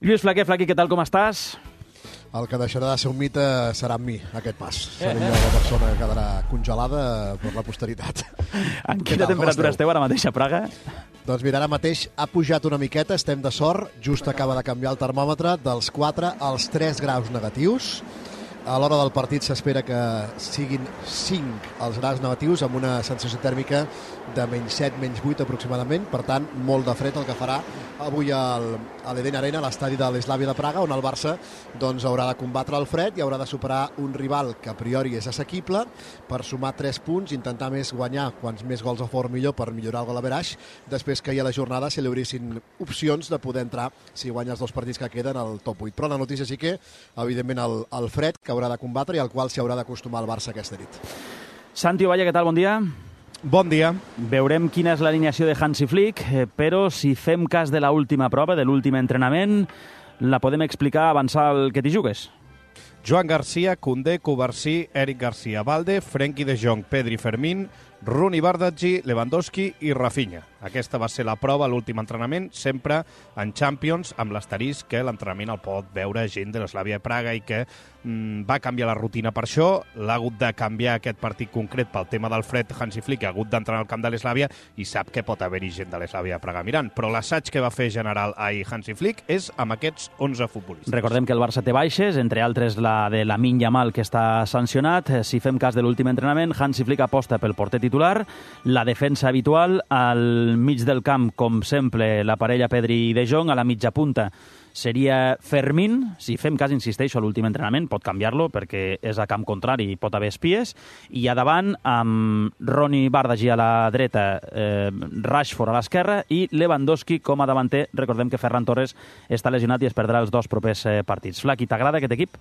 Lluís Flaquer, Flaqui, què tal, com estàs? El que deixarà de ser un mite serà amb mi, aquest pas. Seré jo la persona que quedarà congelada per la posteritat. En quina temperatura esteu ara mateix a Praga? Doncs mira, ara mateix ha pujat una miqueta, estem de sort, just acaba de canviar el termòmetre dels 4 als 3 graus negatius. A l'hora del partit s'espera que siguin 5 els graus negatius amb una sensació tèrmica de -7, -8 aproximadament. Per tant, molt de fred el que farà avui a l'Eden Arena, a l'estadi de l'Slavia de Praga, on el Barça doncs, haurà de combatre el fred i haurà de superar un rival que a priori és assequible per sumar 3 punts, intentar més guanyar, quants més gols a favor millor per millorar el gol average, després que ahir a la jornada se li obrissin opcions de poder entrar, si guanya els 2 partits que queden, al top 8. Però la notícia sí que, evidentment, el fred que haurà de combatre i al qual s'hi haurà d'acostumar el Barça aquesta nit. Santi Ovalle, què tal? Bon dia. Bon dia. Veurem quina és l'alineació de Hansi Flick, però si fem cas de l'última prova, de l'últim entrenament, la podem explicar, avançar el que t'hi jugues. Joan Garcia, Koundé, Cubarsí, Eric Garcia, Valde, Frenkie de Jong, Pedri, Fermín, Rooney, Bardghji, Lewandowski i Rafinha. Aquesta va ser la prova, l'últim entrenament, sempre en Champions, amb l'asterisc que l'entrenament el pot veure gent de l'Slavia de Praga i que va canviar la rutina per això. L'ha hagut de canviar aquest partit concret pel tema del fred. Hansi Flick ha hagut d'entrenar al camp de l'Slavia i sap que pot haver-hi gent de l'Slavia de Praga mirant. Però l'assaig que va fer general ahir Hansi Flick és amb aquests 11 futbolistes. Recordem que el Barça té baixes, entre altres la de Lamine Yamal, que està sancionat. Si fem cas de l'últim entrenament, Hansi Flick aposta pel porter titular, la defensa habitual, al mig del camp, com sempre, la parella Pedri i De Jong, a la mitja punta seria Fermín. Si fem cas, insisteixo, a l'últim entrenament, pot canviar-lo perquè és a camp contrari i pot haver espies, i a davant amb Rooney, Bardghji a la dreta, Rashford a l'esquerra i Lewandowski com a davanter. Recordem que Ferran Torres està lesionat i es perdrà els 2 propers partits. Flaqui, t'agrada aquest equip?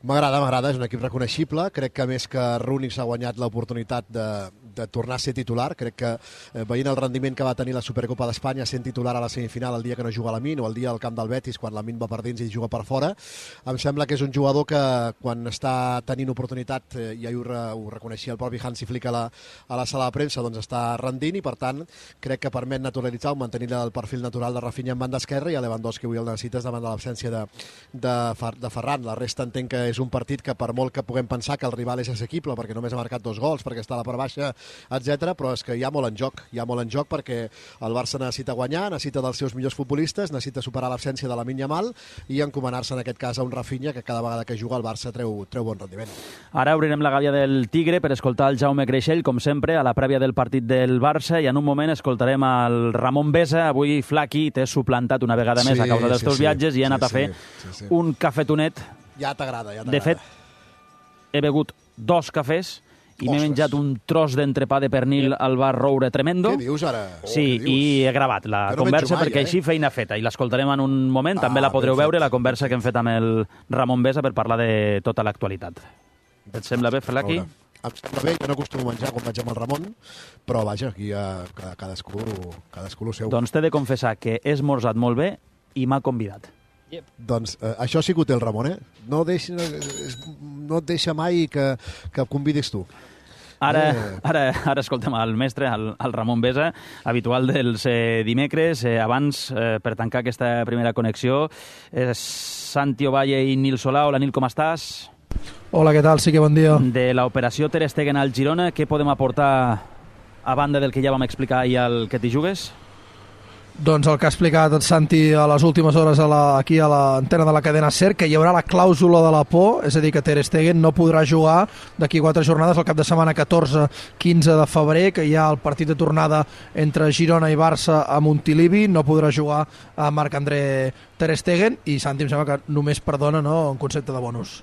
M'agrada, és un equip reconeixible. Crec que més que Rooney s'ha guanyat l'oportunitat de tornar a ser titular. Crec que veient el rendiment que va tenir la Supercopa d'Espanya sent titular a la semifinal el dia que no juga Lamine o el dia al camp del Betis quan Lamine va per dins i juga per fora, em sembla que és un jugador que quan està tenint oportunitat, i ahir ho reconeixia el propi Hansi Flick a la sala de premsa, doncs està rendint i per tant crec que permet naturalitzar o mantenir el perfil natural de Rafinha en banda esquerra i a Lewandowski avui el necessites davant de l'absència de Ferran. La resta entenc que és un partit que per molt que puguem pensar que el rival és assequible perquè només ha marcat 2 gols, perquè està a la part baixa, etc, però és que hi ha molt en joc perquè el Barça necessita guanyar, necessita dels seus millors futbolistes, necessita superar l'absència de Lamine Yamal i encomanar-se en aquest cas a un Rafinha que cada vegada que juga el Barça treu bon rendiment. Ara obrirem la gàbia del Tigre per escoltar el Jaume Creixell, com sempre, a la prèvia del partit del Barça, i en un moment escoltarem el Ramon Besa. Avui, Flaqui, t'he suplantat una vegada més a causa dels teus viatges i he anat a fer un cafetonet. Ja t'agrada. De fet, he begut 2 cafès i m'he menjat un tros d'entrepà de pernil al bar Roure tremendo. Què dius ara? Sí, i he gravat la conversa perquè així feina feta, i l'escoltarem en un moment. També la podreu veure, la conversa que hem fet amb el Ramon Besa per parlar de tota l'actualitat. Et sembla bé, Flaqui? Em sembla bé, jo no acostumo a menjar quan vaig amb el Ramon, però vaja, aquí cadascú el seu. Doncs t'he de confessar que he esmorzat molt bé i m'ha convidat. Doncs això sí que ho té el Ramon, eh? No et deixa mai que convidis tu. Ara escoltem el mestre, el Ramon Besa, habitual dels dimecres. Abans, per tancar aquesta primera connexió, Santi Ovalle i Nil Solà. Hola, Nil, com estàs? Hola, què tal? Sí que bon dia. De l'operació Ter Stegen al Girona, què podem aportar a banda del que ja vam explicar ahir al que t'hi jugues? Doncs el que ha explicat el Santi a les últimes hores aquí a l'antena de la cadena SER, que hi haurà la clàusula de la por, és a dir, que Ter Stegen no podrà jugar d'aquí 4 jornades, el cap de setmana 14-15 de febrer, que hi ha el partit de tornada entre Girona i Barça a Montilivi. No podrà jugar a Marc-André Ter Stegen i Santi em sembla que només perdona, no?, en concepte de bonus.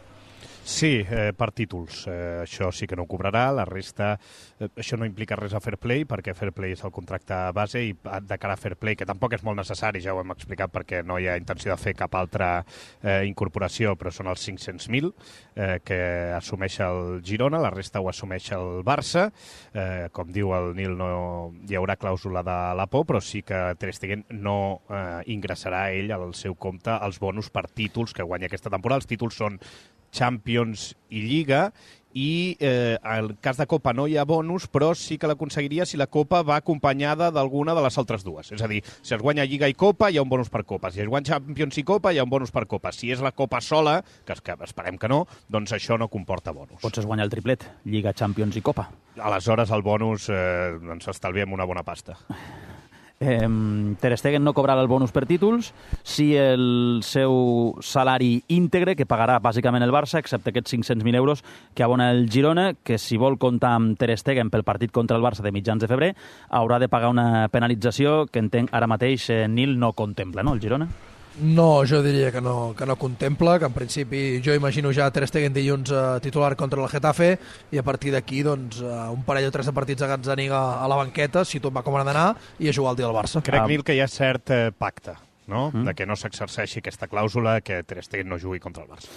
Sí, per títols. Això sí que no ho cobrarà. La resta, això no implica res a Fair Play, perquè Fair Play és el contracte base i de cara a Fair Play, que tampoc és molt necessari, ja ho hem explicat, perquè no hi ha intenció de fer cap altra incorporació, però són els 500.000 que assumeix el Girona, la resta ho assumeix el Barça. Com diu el Nil, no hi haurà clàusula de la por, però sí que Ter Stegen no ingressarà ell al seu compte els bonus per títols que guanya aquesta temporada. Els títols són Champions i Lliga, i en cas de Copa no hi ha bonus, però sí que l'aconseguiria si la Copa va acompanyada d'alguna de les altres dues. És a dir, si es guanya Lliga i Copa, hi ha un bonus per Copa. Si es guanya Champions i Copa, hi ha un bonus per Copa. Si és la Copa sola, que esperem que no, doncs això no comporta bonus. Potser es guanya el triplet, Lliga, Champions i Copa. Aleshores, el bonus ens estalviem una bona pasta. Ter Stegen no cobrarà el bonus per títols, si el seu salari íntegre, que pagarà bàsicament el Barça, excepte aquests 500.000 euros que abona el Girona, que si vol comptar amb Ter Stegen pel partit contra el Barça de mitjans de febrer, haurà de pagar una penalització que entenc ara mateix Nil no contempla, no, el Girona? No, jo diria que no contempla, que en principi jo imagino ja Ter Stegen dilluns titular contra el Getafe i a partir d'aquí doncs, un parell o tres de partits a Gazzaniga a la banqueta, si tot va com ha d'anar, i a jugar el dia del Barça. Crec, Nil, que hi ha cert pacte, no? De que no s'exerceixi aquesta clàusula que Ter Stegen no jugui contra el Barça.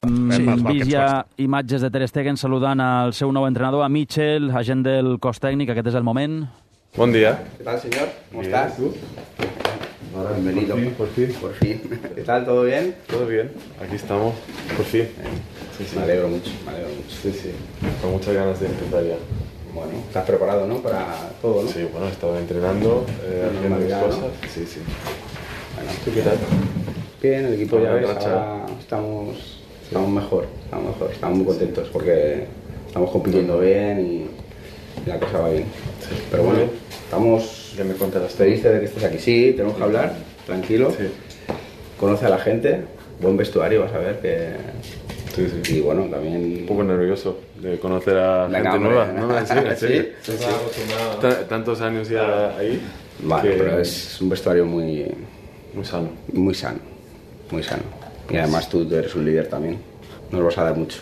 Hem vist ja imatges de Ter Stegen saludant al seu nou entrenador, a Mitchell, agent del cos tècnic, aquest és el moment. Buen día. ¿Qué tal, señor? ¿Cómo estás? ¿Tú? Bienvenido. Por fin. ¿Qué tal? ¿Todo bien? Todo bien. Aquí estamos. Por fin. Sí. Me alegro mucho. Sí. Con muchas ganas de empezar ya. Bueno, estás preparado, ¿no? Para todo, ¿no? Sí, bueno, he estado entrenando, haciendo mis cosas. ¿No? Sí. Bueno, ¿Tú qué tal? Bien, el equipo ya ves, ahora estamos mejor. Estamos muy contentos porque estamos compitiendo bien y la cosa va bien. Sí. Pero bueno, estamos... Ya me contarás. Te dice de que estés aquí. Sí, tenemos que hablar, tranquilo. Sí. Conoce a la gente, buen vestuario, vas a ver que... Sí. Y bueno, también... Un poco nervioso de conocer a gente nueva. No, en serio. Sí. Tantos años ya ahí. Vale, pero es un vestuario muy sano. Muy sano. Y además tú eres un líder también. Nos vas a dar mucho.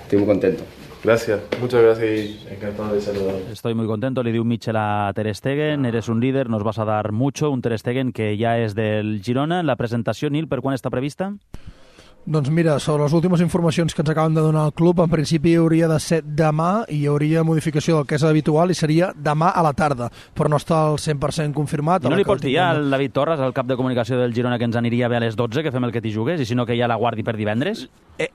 Estoy muy contento. Gracias, muchas gracias y encantado de saludar. Estoy muy contento, le diu Mitchell a Ter Stegen, eres un líder, nos vas a dar mucho, un Ter Stegen que ja és del Girona. La presentació, Nil, per quan està prevista? Doncs mira, sobre les últimes informacions que ens acaben de donar el club, en principi hauria de ser demà i hi hauria modificació del que és habitual i seria demà a la tarda, però no està al 100% confirmat. I no li pots dir al David Torres, el cap de comunicació del Girona, que ens aniria bé a les 12, que fem el que t'hi jugues, i si no que ja la guardi per divendres?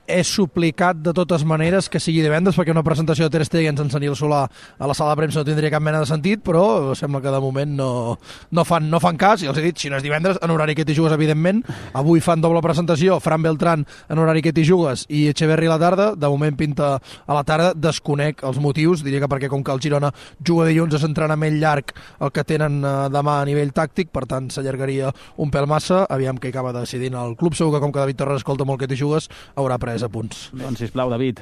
És suplicat de totes maneres que sigui divendres, perquè una presentació de Ter Stegen sense Nil Solà a la sala de premsa no tindria cap mena de sentit, però sembla que de moment no fan cas, i els he dit, si no és divendres, en horari que t'hi jugues, evidentment. Avui fan doble presentació, Fran Beltrán en horari que t'hi jugues i Echeverri a la tarda, de moment pinta a la tarda, desconec els motius, diria que perquè com que el Girona juga dilluns és entrenament llarg el que tenen demà a nivell tàctic, per tant s'allargaria un pèl massa, aviam què acaba decidint el club, segur que com que David Torres escolta molt que t'hi jugues, haurà pres apunts. Doncs sisplau, David,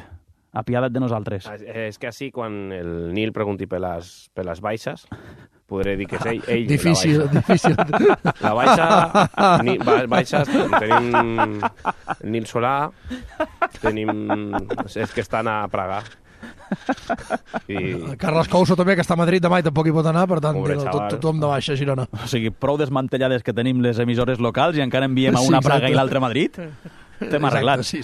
apiada't de nosaltres. És que així, quan el Nil pregunti per les baixes, podré dir que és ell difícil. La baixa, baixes, tenim Nil Solà, tenim els que estan a Praga. Carles Couso també, que està a Madrid demà i tampoc hi pot anar, per tant, tothom de baixa, Girona. O sigui, prou desmantellades que tenim les emissores locals i encara enviem a una a Praga i l'altra a Madrid? T'hem arreglat. Sí.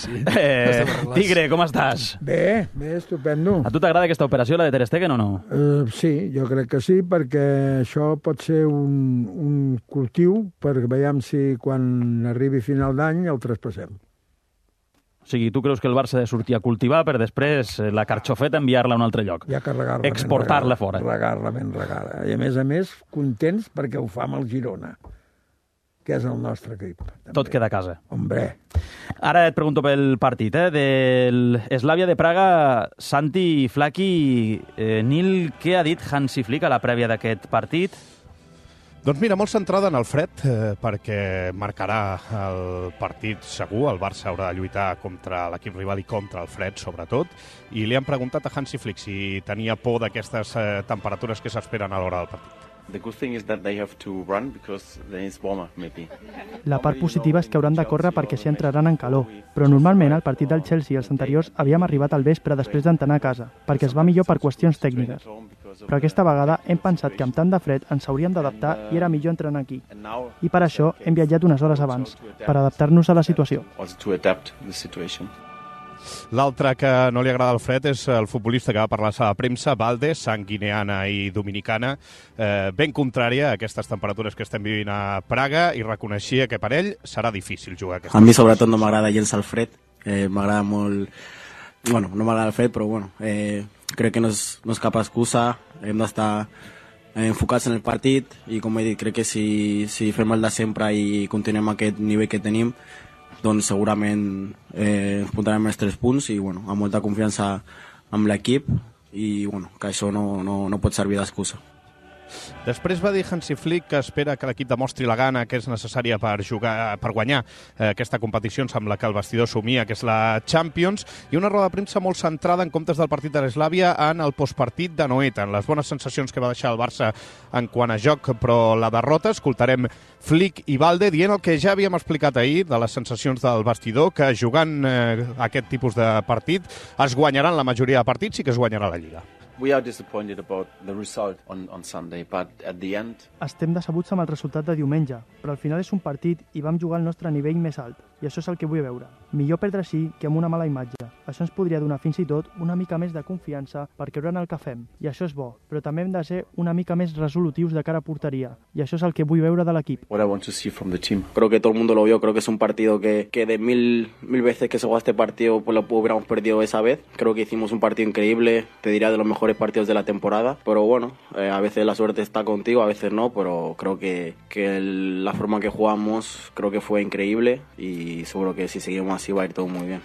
Tigre, com estàs? Bé, estupendo. A tu t'agrada aquesta operació, la de Ter Stegen, o no? Sí, jo crec que sí, perquè això pot ser un cultiu perquè veiem si quan arribi final d'any el traspassem. O sigui, tu creus que el Barça ha de sortir a cultivar per després la carxofeta enviar-la a un altre lloc? Ja que regar-la exportar-la fora. Regar-la ben regada. I a més, contents perquè ho fa amb el Girona, que és el nostre equip. També. Tot queda a casa. Hombre. Ara et pregunto pel partit, del Slavia de Praga, Santi Flaqui, Nil, què ha dit Hansi Flick a la prèvia d'aquest partit? Doncs mira, molt centrada en el fred, perquè marcarà el partit segur. El Barça haurà de lluitar contra l'equip rival i contra el fred, sobretot. I li han preguntat a Hansi Flick si tenia por d'aquestes temperatures que s'esperen a l'hora del partit. La part positiva és que hauran de córrer perquè s'hi entraran en calor, però normalment al partit del Chelsea i els anteriors havíem arribat al vespre després d'entrenar a casa, perquè es va millor per qüestions tècniques. Però aquesta vegada hem pensat que amb tant de fred ens hauríem d'adaptar i era millor entrenar aquí. I per això hem viatjat unes hores abans, per adaptar-nos a la situació. L'altre que no li agrada el fred és el futbolista que va parlar a la sala de premsa, Valde, sang guineana i dominicana, ben contrària a aquestes temperatures que estem vivint a Praga, i reconeixia que per ell serà difícil jugar aquesta. A mi sobretot no m'agrada gens el fred, m'agrada molt bueno, no m'agrada el fet, però bueno, crec que no és cap excusa, hem d'estar enfocats en el partit i com he dit, crec que si fem el de sempre i continuem aquest nivell que tenim, doncs segurament ens portarem els 3 punts i bueno, amb molta confiança amb l'equip i bueno, que això no pot servir d'excusa. Després va dir Hansi Flick que espera que l'equip demostri la gana que és necessària per guanyar aquesta competició. Em sembla que el vestidor somia, que és la Champions, i una roda de premsa molt centrada en comptes del partit de l'Eslàvia en el postpartit d'Anoeta, en les bones sensacions que va deixar el Barça en quant a joc, però la derrota. Escoltarem Flick i Valde dient el que ja havíem explicat ahir de les sensacions del vestidor, que jugant aquest tipus de partit es guanyaran la majoria de partits i que es guanyarà la Lliga. We are disappointed about the result on Sunday, but at the end... Estem decebuts amb el resultat de diumenge, però al final és un partit i vam jugar al nostre nivell més alt, i això és el que vull veure. Millor perdre així que amb una mala imatge. Això ens podria donar fins i tot una mica més de confiança per creure en el que fem, i això és bo, però també hem de ser una mica més resolutius de cara a porteria, i això és el que vull veure de l'equip. What I want to see from the team. Creo que todo el mundo lo vio, creo que es un partido que de mil veces que se juega este partido pues lo hubiéramos perdido esa vez. Creo que hicimos un partido increíble, te diría de los mejores partidos de la temporada, pero bueno, a veces la suerte está contigo, a veces no, pero creo que la forma que jugamos creo que fue increíble y seguro que si seguimos así va a ir todo muy bien.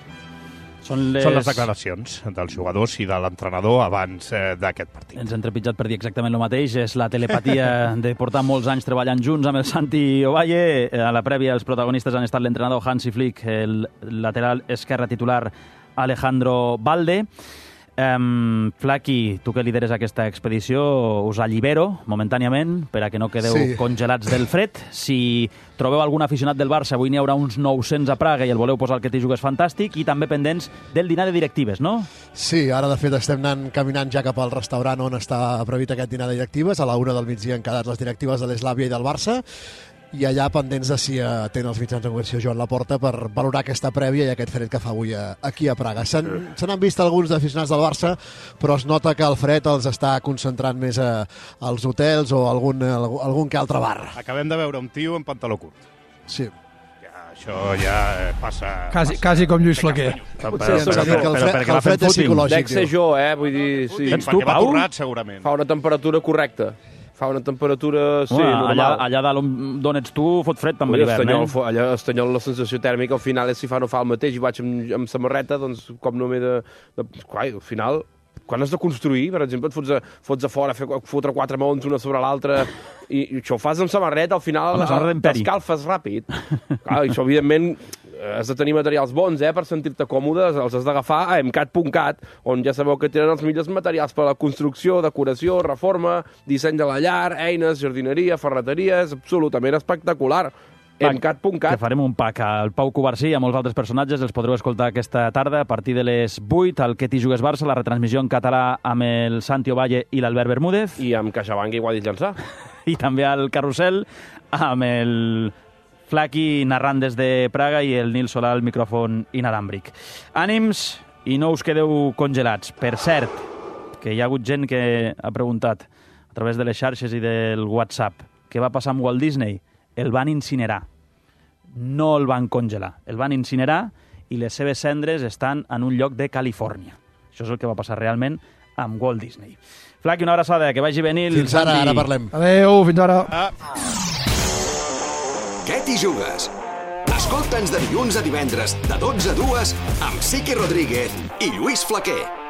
Són les declaracions dels jugadors i de l'entrenador abans d'aquest partit. Ens hem trepitjat per dir exactament el mateix. És la telepatia de portar molts anys treballant junts amb el Santi Ovalle. A la prèvia, els protagonistes han estat l'entrenador Hansi Flick, el lateral esquerre titular Alejandro Valde. Flaqui, tu que lideres aquesta expedició, us allibero momentàniament per a que no quedeu congelats del fred. Si trobeu algun aficionat del Barça, avui n'hi haurà uns 900 a Praga i el voleu posar al que t'hi jugues fantàstic, i també pendents del dinar de directives, no? Sí, ara de fet estem anant caminant ja cap al restaurant on està previst aquest dinar de directives. A la 1 del migdia han quedat les directives de l'Eslàvia i del Barça, i allà pendents de si tenen els mitjans de comunicació Joan Laporta per valorar aquesta prèvia i aquest fred que fa avui aquí a Praga. Se n'han vist alguns aficionats del Barça, però es nota que el fred els està concentrant més als hotels o algun que altre bar. Acabem de veure un tio en pantaló curt. Sí. Això ja passa... Quasi com Lluís Flaquer. El fred és psicològic. Dec ser jo, vull dir... Sí. Ets tu, Pau? Segurament. Fa una temperatura correcta. Fa una temperatura, sí, normal. Allà dalt d'on ets tu fot fred també l'hivern, allà a Estanyol la sensació tèrmica al final és si fa no fa el mateix i vaig amb samarreta, doncs com no m'he de... Al final, quan has de construir, per exemple, et fots a fora, fotre 4 maons una sobre l'altra i això ho fas amb samarreta, al final t'escalfes ràpid. Clar, això evidentment... Has de tenir materials bons, per sentir-te còmodes, els has d'agafar a emcat.cat, on ja sabeu que tenen els millors materials per a la construcció, decoració, reforma, disseny de la llar, eines, jardineria, ferreteria, és absolutament espectacular. emcat.cat. Que farem un pack al Pau Covarsí i a molts altres personatges, els podreu escoltar aquesta tarda a partir de les 8 al Que t'hi jugues Barça, la retransmissió en català amb el Santi Ovalle i l'Albert Bermúdez. I amb CaixaBank i Guadix Llançà. I també al Carrusel amb el Flaqui narrant des de Praga i el Nil Solà al micròfon inalàmbric. Ànims i no us quedeu congelats. Per cert, que hi ha hagut gent que ha preguntat a través de les xarxes i del WhatsApp què va passar amb Walt Disney. El van incinerar. No el van congelar. El van incinerar i les seves cendres estan en un lloc de Califòrnia. Això és el que va passar realment amb Walt Disney. Flaqui, una abraçada, que vagi bé, Nil. Fins ara, ara parlem. Adéu, fins ara. Què t'hi jugues? Escolta'ns de dilluns a divendres, de 12 a 2, amb Siqui Rodríguez i Lluís Flaquer.